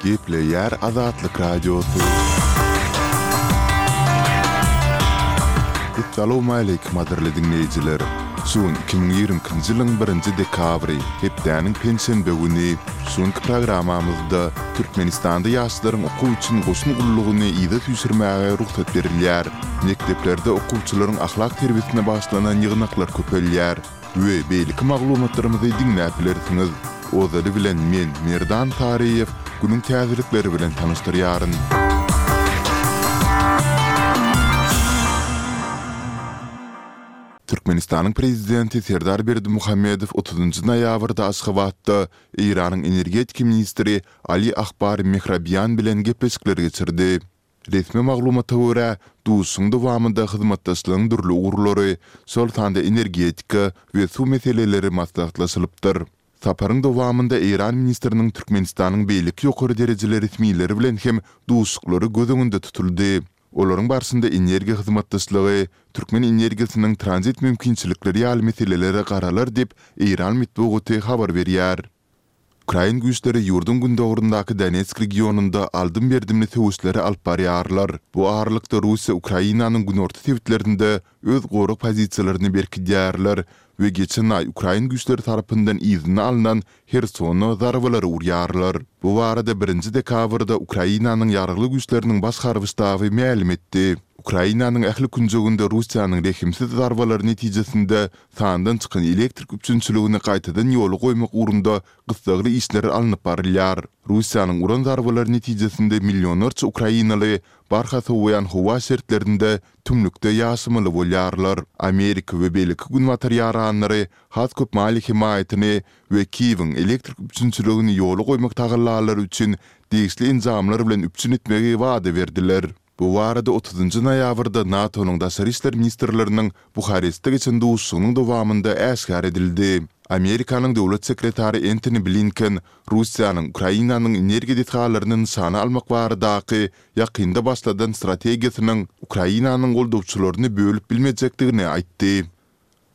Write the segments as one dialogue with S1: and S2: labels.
S1: Gepleýär Azatlyk Radiosy. Essalawmaleýkim gadyrly diňleýjiler! Şu gün 2022-nji ýylyň birinji dekabry, hepdäniň penşenbe güni. Şu günki programmamyzda Türkmenistanda ýaşlaryň okuw üçin goşun gullugyny yza süýşürmäge rugsat berilýär. Mekdeplerde okuwçylaryň ahlak terbiýesine bagyşlanan ýygnaklar köpelýär. We beýleki maglumatlarymyzy diňläp bilersiňiz. Ozaly bilen men, Merdan Saryýew, günüň täzelikleri bilen tanyşdyrýaryn. Türkmenistanyň Prezidenti Serdar Berdimuhamedow otuzynjy noýabrda Aşgabatda Eýranyň energetika ministri Ali Akbar Mehrabian bilen gepleşikler geçirdi. Resmi maglumata görä, duşuşygyň dowamynda hyzmatdaşlygyň dürli ugurlary, şol sanda energetika we suw meseleleri maslahatlaşylypdyr. Saparyň dowamynda eýran ministriniň Türkmenistanyň beýleki ýokary derejeli resmileri bilen hem duşuşyklary göz öňünde tutuldy. Olaryň barşynda energiýa hyzmatdaşlygy, türkmen energiýasynyň tranzit mümkinçilikleri ýaly meselelere garalar diýip, eýran metbugaty habar berýär. Ukrain güýçleri ýurduň gündogaryndaky Donetsk regionynda aldym-berdimli söweşleri alyp barýarlar. Bu aralykda Russiýa Ukrainanyň günorta sebitlerinde öz gorag pozisiýalaryny berkidýärler we geçen aý ukrain güýçleri tarapyndan yzyna alnan Hersona zarbalary urýarlar. Bu barada birinji dekabrda Ukrainanyň Ýaragly Güýçleriniň Baş harby ştaby mälim etdi. Ukrainanyň ähli künjeginde Russiýanyň rehimsiz zarbalary netijesinde sandan çykan elektrik üpjünçiligini gaýtadan ýola goýmak ugrunda gyssagly işler alnyp barylýar. Russiýanyň uran zarbalary netijesinde millionlarça ukrainaly barha sowaýan howa şertlerinde tümlükde ýaşamaly bolýarlar. Amerika we beýleki günbatar ýaranlary has köp maliýe hemaýatyny we Kiýewiň elektrik üpjünçiligini ýola goýmak tagallalary üçin degişli enjamlar bilen üpjün etmegi wada berdiler. Bu barada otuzynjy noýabrda NATO-nyň daşary işler ministrleriniň Buharestde geçen duşuşygynyň dowamynda äşgär edildi. Amerikanyň döwlet sekretary Entoni Blinken Russiýanyň Ukrainanyň energiýa desgalaryny nyşana almak baradaky ýakynda başladan strategiýasynyň Ukrainanyň goldawçylaryny bölüp bilmejekdigini aýtdy.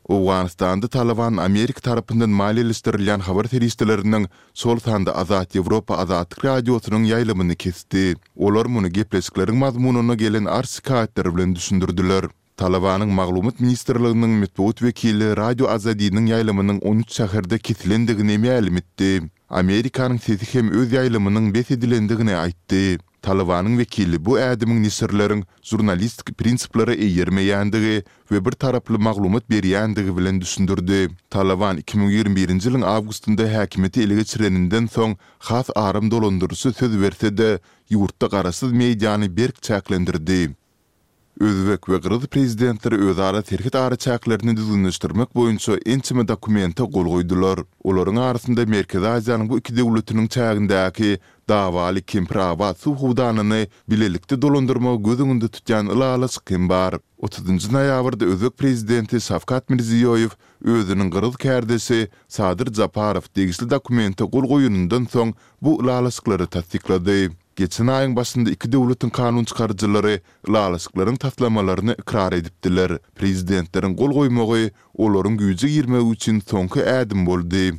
S1: Owganystanda Talyban Amerika tarapyndan maliýeleşdirilýän habar serişdeleriniň, şol sanda Azat Ýewropa Azatlyk Radiosynyň ýaýlymyny kesdi. Olar muny gepleşikleriň mazmunyna gelen arz-şikaýatlar bilen düşündirdiler. Talybanyň Maglumat ministrliginiň metbugat wekili Radio Azadiniň ýaýlymynyň 13 şäherde kesilendigini mälim etdi. Amerikanyň Sesi hem öz ýaýlymynyň bes edilendigini aýtdy. Talybanyň wekili bu ädimiň neşirleriň žurnalistik prinsiplere eýermeýändigi we bir taraply maglumat berýändigi bilen düşündirdi. Talyban 2021-nji ýylyň awgustynda häkimiýeti ele geçireninden soň has aram dolandyryşy söz berse-de, ýurtda garaşsyz mediany berk çäklendirdi. Özbek we gyrgyz prezidentleri özara serhet araçäklerini düzgünleşdirmek boýunça ençeme dokumente gol goýdular. Olaryň arasynda Merkezi Aziýanyň bu iki döwletiniň çägindäki dawaly Kempir-Abat suw howdanyny bilelikde dolandyrmagy göz öňünde tutýan ylalaşyk hem bar. Otuzynjy noýabrda özbek prezidenti Şawkat Mirziýoýew özüniň gyrgyz kärdeşi Sadyr Japarow degişli dokumente gol goýanyndan soň bu ylalaşyklary tassyklady. Geçen aýyň başynda iki döwletiň kanunçykaryjylary ylalaşyklaryň taslamalaryny ykrar edipdiler. Prezidentleriň gol goýmagy olaryň güýje girmegi üçin soňky ädim boldy.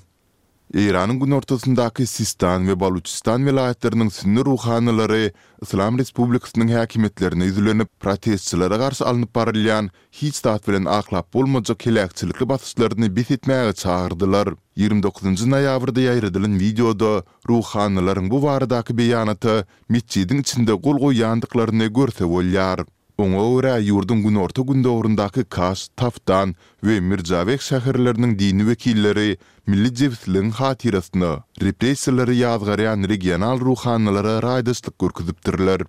S1: Eýranyň günortasyndaky Sistan we Baluçistan welaýatlarynyň sünni ruhanylary Yslam Respublikasynyň häkimiýetlerine ýüzlenip, protestçilere garşy alnyp barylýan hiç zat bilen aklap bolmajak heläkçilikli basyşlaryny bes etmäge çagyrdylar. 29 noýabrda ýaýradylan wideoda Ruhanylaryň bu baradaky beýanata metjidiň içinde gol goýýandyklaryny görse bolýar. Oňa görä, ýurduň günorta-gündogaryndaky Kaş, Taftan we Mirjaweh şäherleriniň dini wekilleri milli jebisligiň hatyrasyna repressiýalary ýazgarýan regional ruhanylara raýdaşlyk görkezipdirler.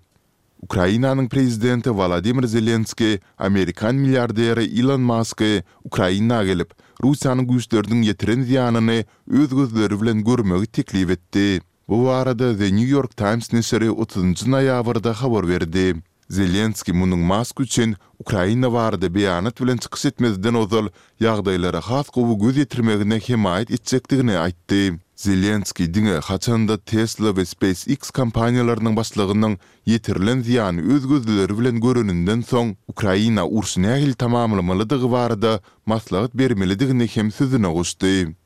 S1: Ukrainanyň prezidenti Wolodymyr Zelenskiý amerikan milliarderi Ilon Masky Ukraina gelip, Russiýanyň güýçleriniň ýetiren zyýanyny öz gözleri bilen görmegi teklip etdi. Bu barada The New York Times neşiri otuzynjy noýabrda habar berdi. Zelenskiý munuň Mask üçin Ukraina barada beýanat bilen çykyş etmezden ozal ýagdaýlara has gowy göz ýetirmegine hemaýat etjekdigini aýtdy. Zelenskiý diňe haçanda Tesla we SpaceX kompaniýalarynyň başlygynyň ýetirilen zyýany öz gözleri bilen göreninden soň, Ukraina urşy nähili tamamlamalydygy barada maslahat bermelidigini hem sözüne goşdy.